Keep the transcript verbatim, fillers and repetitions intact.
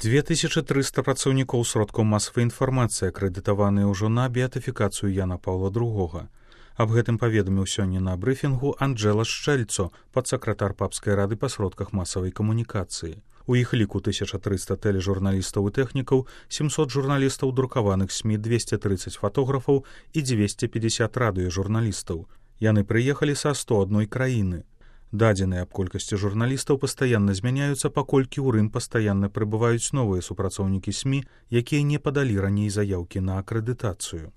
дзве тысячы трыста працаўнікоў сродкаў масавай інфармацыі акрэдытаваныя ўжо на беатыфікацыю Яна Паўла другога. Аб гэтым паведаміў сёння на брыфінгу Анджэла Шчэльцо, падсакратар папскай рады па сродках масавай камунікацыі. У іх ліку тысяча трыста тэлежурналістаў і тэхнікаў, сямсот журналістаў друкаваных СМІ, двесце трыццаць фатографаў і дзвесце пятьдесят радыёжурналістаў. Яны прыехалі са сто адной краіны. Дадзеныя аб колькасці журналістаў пастаянна змяняюцца, паколькі ў Рым пастаянна прыбываюць новыя супрацоўнікі СМІ, якія не падалі раней заяўкі на акрэдытацыю.